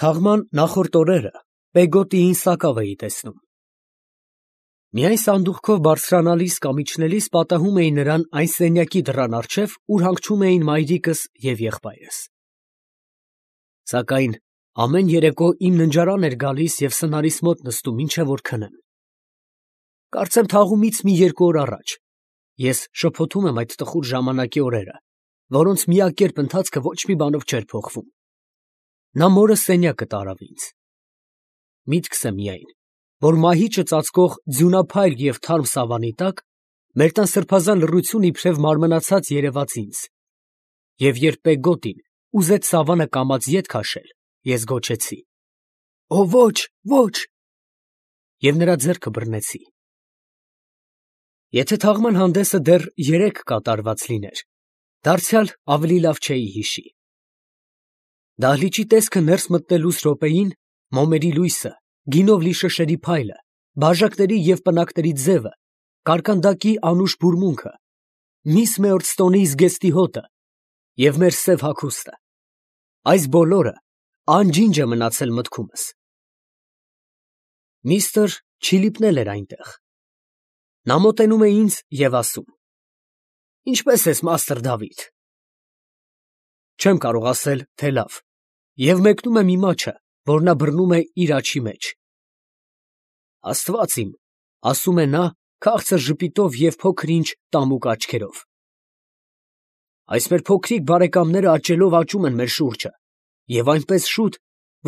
Թաղման նախորդ օրերը Պեգոտիին սակավ էի տեսնում։ Միայն սանդուղքով բարձրանալիս կամ իջնելիս պատահում էի նրան այն սենյակի դռան առջև, ուր հանգչում էին մայրիկս և եղբայրս։ Սակայն ամեն երեկո իմ ննջարան էր գալիս և սնարիս մոտ նստում, մինչև որ քնեմ։ Կարծեմ թաղումից մի երկու օր առաջ ես շփոթում եմ այդ տխուր ժամանակի օրերը, որոնց միակերպ ընթացքը ոչ մի բանով չէր փոխվում։ Նա մորս սենյակը տարավ ինձ։ Միտքս է միայն, որ մահիճը ծածկող ձյունափայլ և թարմ սավանի տակ մեր տան սրբազան լռությունը իբրև մարմնացած երևաց ինձ, և երբ Պեգոտին ուզեց սավանը կամաց ետ քաշել, ես գոչեցի. «Օ, ոչ, ոչ», և նրա ձեռքը բռնեցի։ Եթե թաղման հանդեսը դեռ երեկ կատարված լիներ, դարձյալ ավելի լավ չէի հիշի։ Դահլիճի տեսքը ներս մտնելուս րոպեին մոմերի լույսը, գինով լի շշերի փայլը, բաժակների և պնակների ձևը, կարկանդակի անուշ բուրմունքը, միս Մեորդստոնի զգեստի հոտը և մեր սև հագուստը, այս բոլորը անջինջ է մնացել մտքումս։ Միստր Չիլիպն էլ էր այնտեղ։ Նա մոտենում է ինձ և ասում. «Ինչպե՞ս ես, մաստր Դավիթ»։ Չեմ կարող ասել, թե լավ, և մեկնում եմ իմ աջը, որ նա բռնում է իր աջի մեջ։ «Աստված իմ», ասում է նա քաղցր ժպիտով և փոքր֊ինչ տամուկ աչքերով։ Այս մեր փոքրիկ բարեկամները աճելով աճում են մեր շուրջը, և այնպես շուտ,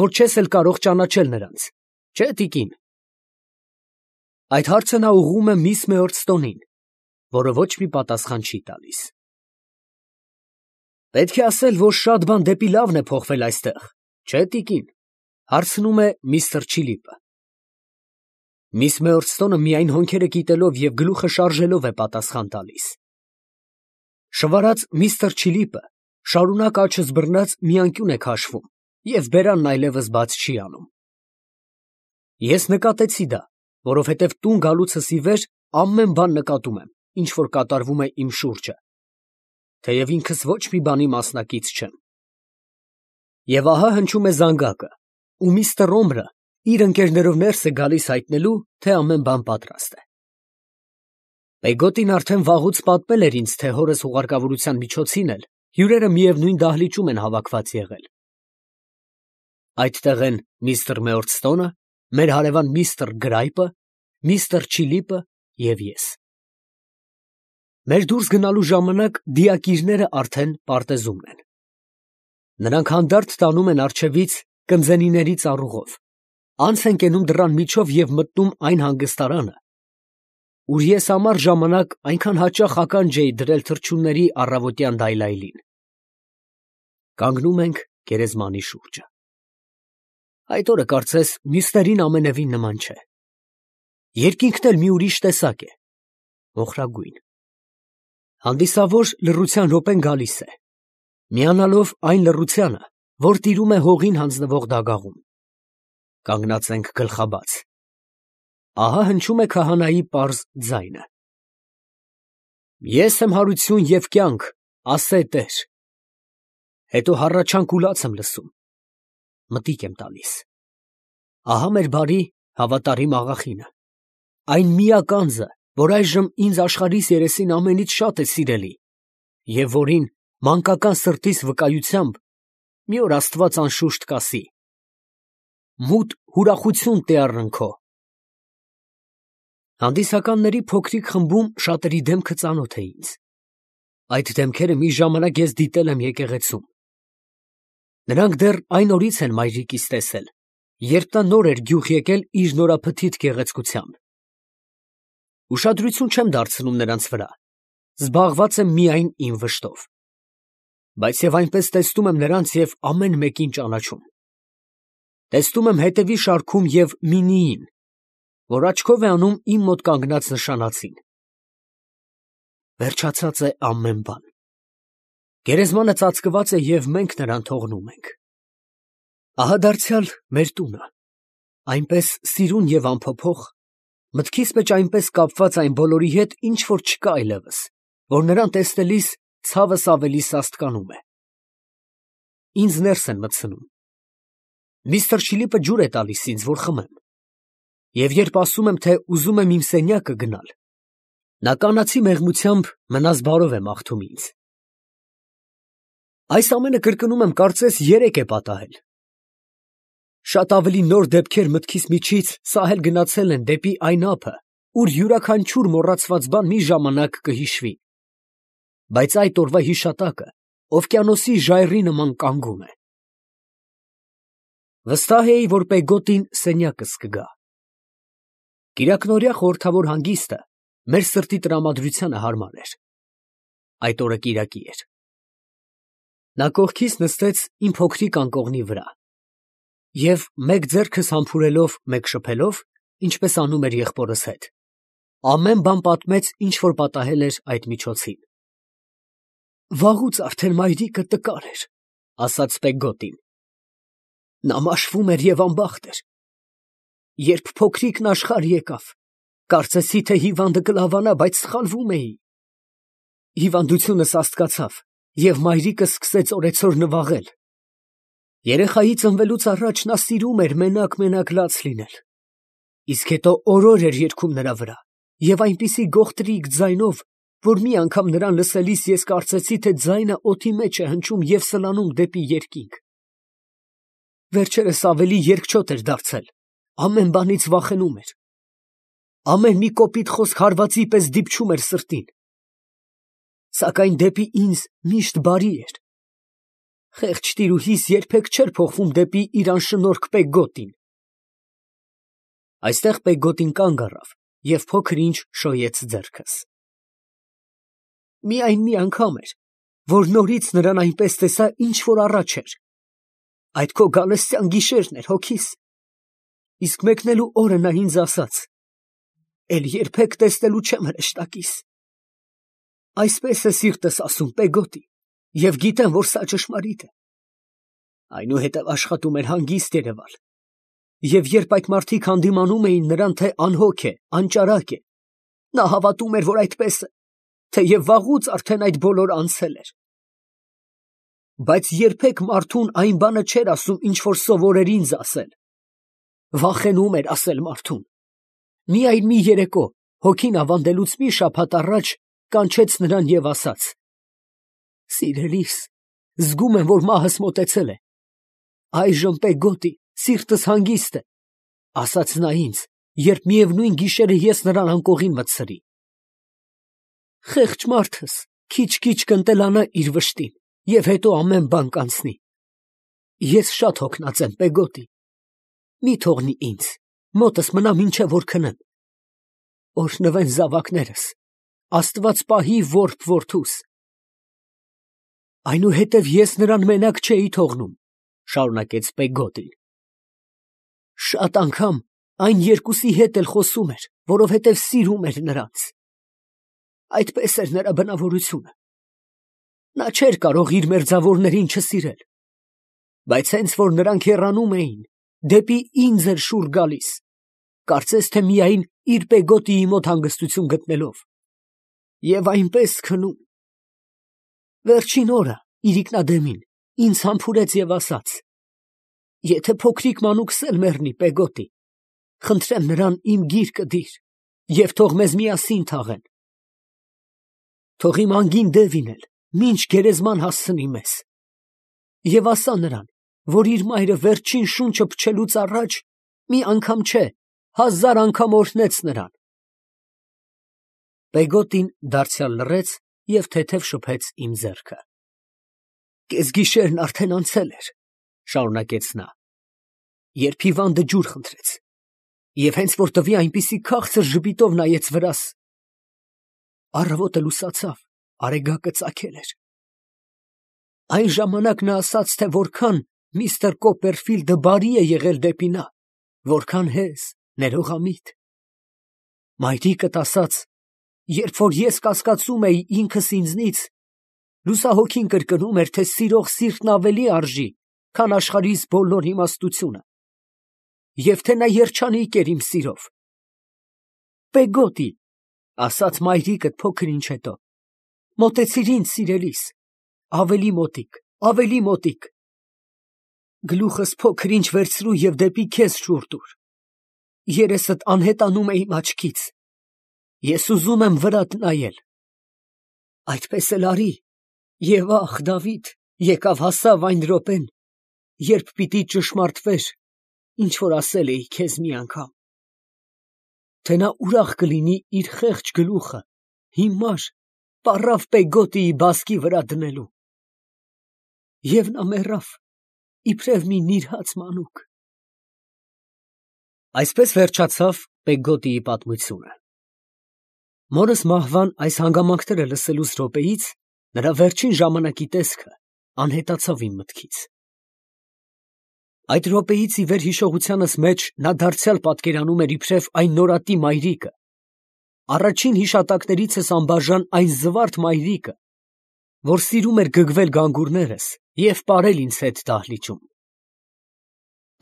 որ չես էլ կարող ճանաչել նրանց, չէ՞, տիկին։ Այդ հարցը նա ուղղում է միս Մեորդստոնին, որը ոչ մի պատասխան չի տալիս։ «Պետք է ասել, որ շատ բան դեպի լավն է փոխվել այստեղ, չէ՞, տիկին», հարցնում է միստր Չիլիպը։ Միս Մեորդստոնը միայն հոնքերը կիտելով և գլուխը շարժելով է պատասխան տալիս։ Շվարած միստր Չիլիպը շարունակ աջս բռնած մի անկյուն է քաշվում և բերանն այլևս բաց չի անում։ Ես նկատեցի դա, որովհետև տուն գալուցս ի վեր ամեն բան նկատում եմ, ինչ որ կատարվում է իմ շուրջը, թեև ինքս ոչ մի բանի մասնակից չեմ։ Եվ ահա հնչում է զանգակը, ու միստր Օմրը իր ընկերներով ներս է գալիս հայտնելու, թե ամեն բան պատրաստ է։ Պեգոտին արդեն վաղուց պատմել էր ինձ, թե հորս ուղարկավորության միջոցին էլ հյուրերը միևնույն դահլիճում են հավաքված եղել։ Այդտեղ են միստր Մեորդստոնը, մեր հարևան միստր Գրայպը, միստր Չիլիպը և ես։ Մեր դուրս գնալու ժամանակ դիակիրները արդեն պարտեզումն են։ Նրանք հանդարտ տանում են առջևից կնձենիների ծառուղով, անց են կենում դռան միջով և մտնում այն հանգստարանը, ուր ես ամառ ժամանակ այնքան հաճախ ականջ էի դրել թռչունների առավոտյան դայլայլին։ Կանգնում ենք գերեզմանի շուրջը։ Այդ օրը կարծես մյուսներին ամենևին նման չէ։ Երկինքն էլ մի ուրիշ տեսակ է, մոխրագույն։ Հանդիսավոր լռության րոպեն գալիս է, միանալով այն լռությանը, որ տիրում է հողին հանձնվող դագաղում։ Կանգնած ենք գլխաբաց։ Ահա հնչում է քահանայի պարզ ձայնը. «Ես եմ հարություն և կյանք, ասե Տեր»։ Հետո հառաչանք ու լաց եմ լսում։ Մտիկ եմ տալիս։ Ահա մեր բարի հավատարիմ աղախինը, այն միակ անձը, որ այժմ ինձ աշխարհիս երեսին ամենից շատ է սիրելի, և որին մանկական սրտիս վկայությամբ մի օր Աստված անշուշտ կասի. «Մութ ուրախություն տե առն քո»։ Հանդիսականների փոքրիկ խմբում շատերի դեմքը ծանոթ է ինձ։ Այդ դեմքերը մի ժամանակ ես դիտել եմ եկեղեցում։ Նրանք դեռ այն օրից են մայրիկիս տեսել, երբ նա նոր էր գյուղ եկել իր նորափթիթ գեղեցկությամբ։ Ուշադրություն չեմ դարձնում նրանց վրա, զբաղված եմ միայն իմ վշտով։ Բայց և այնպես տեսնում եմ նրանց և ամեն մեկին ճանաչում։ Տեսնում եմ հետևի շարքում և Մինիին, որ աչքով է անում իմ մոտ կանգնած նշանածին։ Վերջացած է ամեն բան։ Գերեզմանը ծածկված է և մենք նրան թողնում ենք։ Ահա դարձյալ մեր տունը, այնպես սիրուն և անփոփոխ, մտքիս մեջ այնպես կապված այն բոլորի հետ, ինչ որ չկա այլևս, որ նրան տեսնելիս ցավս ավելի սաստկանում է։ Ինձ ներս են մտցնում։ Միստր Չիլիպը ջուր է տալիս ինձ, որ խմեմ, և երբ ասում եմ, թե ուզում եմ իմ սենյակը գնալ, նա կանացի մեղմությամբ մնաս բարով է մաղթում ինձ։ Այս ամենը կրկնում եմ կարծես 3 է պատահել։ Շատ ավելի նոր դեպքեր մտքիս միջից սահել գնացել են դեպի այն ափը, ուր յուրաքանչյուր մոռացված բան մի ժամանակ կհիշվի, բայց այդ օրվա հիշատակը օվկիանոսի ժայռի նման կանգուն է։ Վստահ էի, որ Պեգոտին սենյակս կգա։ Կիրակնօրյա խորհրդավոր հանգիստը մեր սրտի տրամադրությանը հարմար էր։ Այդ օրը կիրակի էր։ Նա կողքիս նստեց իմ փոքրիկ անկողնի վրա և մեկ ձեռքս համբուրելով, մեկ շփելով, ինչպես անում էր եղբորս հետ, ամեն բան պատմեց, ինչ որ պատահել էր այդ միջոցին։ «Վաղուց արդեն մայրիկը տկար էր», ասաց Պեգոտին։ «Նա մաշվում էր և անբախտ էր։ Երբ փոքրիկն աշխարհ եկավ, կարծեցի, թե հիվանդը կլավանա, բայց սխալվում էի։ Հիվանդությունս սաստկացավ, և մայրիկը սկսեց օրեցօր նվաղել։ Երեխայի ծնվելուց առաջ նա սիրում էր մենակ լաց լինել, իսկ հետո օրոր էր երգում նրա վրա, և այնպիսի գողտրիկ ձայնով, որ մի անգամ նրան լսելիս ես կարծեցի, թե ձայնը օդի մեջ է հնչում և սլանում դեպի երկինք։ Վերջերս ավելի երկչոտ էր դարձել, ամեն բանից վախենում էր։ Ամեն մի կոպիտ խոսք հարվածի պես դիպչում էր սրտին։ Սակայն դեպի ինձ միշտ բարի էր։ Խեղճ տիրուհիս երբեք չէր փոխվում դեպի իր անշնորհք Պեգոտին»։ Այստեղ Պեգոտին կանգ առավ և փոքր-ինչ շոյեց ձեռքս։ Միայն մի անգամ էր, որ նորից նրան այնպես տեսա, ինչ որ առաջ էր։ Այդ քո գալստյան գիշերն էր, հոգիս։ Իսկ մեկնելու օրը նա ինձ ասաց. «Էլ երբեք տեսնելու չեմ հրեշտակիս»։ Այսպես է սիրտս ասում, Պեգոտի, և գիտեմ, որ սա ճշմարիտ է։ Այնուհետև աշխատում էր հանգիստ երևալ, և երբ այդ մարդիկ հանդիմանում էին նրան, թե անհոգ է, անճարակ է, նա հավատում էր, որ այդպես է, թեև վաղուց արդեն այդ բոլորը անցել էր։ Բայց երբեք մարդուն այն բանը չէր ասում, ինչ որ սովորեր ինձ ասել։ Վախենում էր ասել մարդուն։ Միայն մի երեկո, հոգին ավանդելուց մի շաբաթ առաջ, կանչեց նրան և ասաց. «Սիրելիս, զգում եմ, որ մահս մոտեցել է։ Այժմ, Պեգոտի, սիրտս հանգիստ է», ասաց նա ինձ, երբ միևնույն գիշերը ես նրան անկողին մտցրի։ Խեղճ մարդս քիչ-քիչ կընտելանա իր վշտին, և հետո ամեն բան կանցնի։ Ես շատ հոգնած եմ, Պեգոտի։ Մի թողնի ինձ, մոտս մնա մինչև որ քնեմ։ Օրհնվեն զավակներս, Աստված պահի որբ որդուս։ Այնուհետև ես նրան մենակ չէի թողնում, շարունակեց Պեգոտին։ Շատ անգամ այն երկուսի հետ էլ խոսում էր, որովհետև սիրում էր նրանց։ Այդպես էր նրա բնավորությունը։ Նա չէր կարող իր մերձավորներին չսիրել, բայց հենց որ նրանք հեռանում էին, դեպի ինձ էր շուռ գալիս, կարծես թե միայն իր Պեգոտիի մոտ հանգստություն գտնելով, և այնպես քնում։ Վերջին օրը, իրիկնադեմին, ինձ համբուրեց և ասաց. «Եթե փոքրիկ մանուկս էլ մեռնի, Պեգոտի, խնդրեմ նրան իմ գիրկը դիր, և թող մեզ միասին թաղեն։ Թող իմ անգին դևին էլ մինչ գերեզման հասցնի մեզ։ Եվ ասա նրան, որ իր մայրը վերջին շունչը փչելուց առաջ մի անգամ չէ, 1000 անգամ օրհնեց նրան»։ Պեգոտին դարձյալ լռեց և թեթև շփեց իմ ձեռքը։ «Կեսգիշերն արդեն անցել էր», շարունակեց նա, «երբ հիվանդը ջուր խնդրեց, և հենց որ տվի այնպիսի քաղցր ժպիտով նայեց վրաս։ Առավոտը լուսացավ, արեգակը ծագել էր։ Այն ժամանակ նա ասաց, թե որքան միստր Կոպերֆիլդը բարի է եղել դեպի նա, որքան հեզ, ներողամիտ։ Մայրիկդ ասաց, երբ որ ես կասկածում էի ինքս ինձնից, լուսահոգին կրկնում էր, թե սիրող սիրտն ավելի արժի, քան աշխարհիս բոլոր իմաստությունը, և թե նա երջանիկ էր իմ սիրով։ Պեգոտի, ասաց մայրիկդ փոքր ինչ հետո, մոտեցիր ինձ, սիրելիս, ավելի մոտիկ, ավելի մոտիկ։ Գլուխս փոքր-ինչ վերցրու եւ դեպի քեզ շուռ տուր։ Երեսդ անհետանում է իմ աչքից։ Ես ուզում եմ վրադ նայել։ Այդպես էլ արի։ Եվ ախ, Դավիթ, եկավ հասավ այն րոպեն, երբ պիտի ճշմարտվեր, ինչ որ ասել էի քեզ մի անգամ, թե նա ուրախ կլինի իր խեղճ գլուխը հիմար պառավ Պեգոտիի բասկի վրա դնելու։ Եվ նա մեռավ, իբրև մի նիրհած մանուկ։ Այսպես վերջացավ Պեգոտիի պատմությունը։ Մորս մահվան այս հանգամանքները լսելուց րոպեից նրա վերջին ժամանակի տեսքը անհետացավ իմ մտքից։ Այդ րոպեից ի վեր հիշողությանս մեջ նա դարձյալ պատկերանում էր իբրև այն նորատի մայրիկը, առաջին հիշատակներիցս անբաժան այն զվարթ մայրիկը, որ սիրում էր գգվել գանգուրներս և պարել ինձ հետ դահլիճում։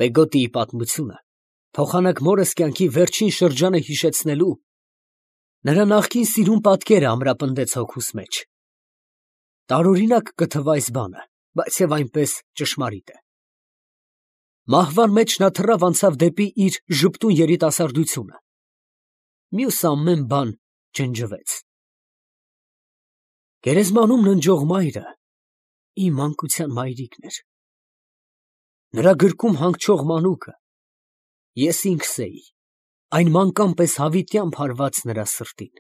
Պեգոտիի պատմությունը փոխանակ մորս կյանքի վերջին շրջանը հիշեցնելու, նրա նախկին սիրուն պատկերը ամրապնդեց հոգուս մեջ։ Տարօրինակ կթվա այս բանը, բայց և այնպես ճշմարիտ է։ Մահվան մեջ նա թռավ անցավ դեպի իր ժպտուն երիտասարդությունը։ Մյուս ամեն բան ջնջվեց։ Գերեզմանում ննջող մայրը իմ մանկության մայրիկն էր։ Նրա գրկում հանգչող մանուկը ես ինքս էի, այն մանկան պես հավիտյան հարված նրա սրտին։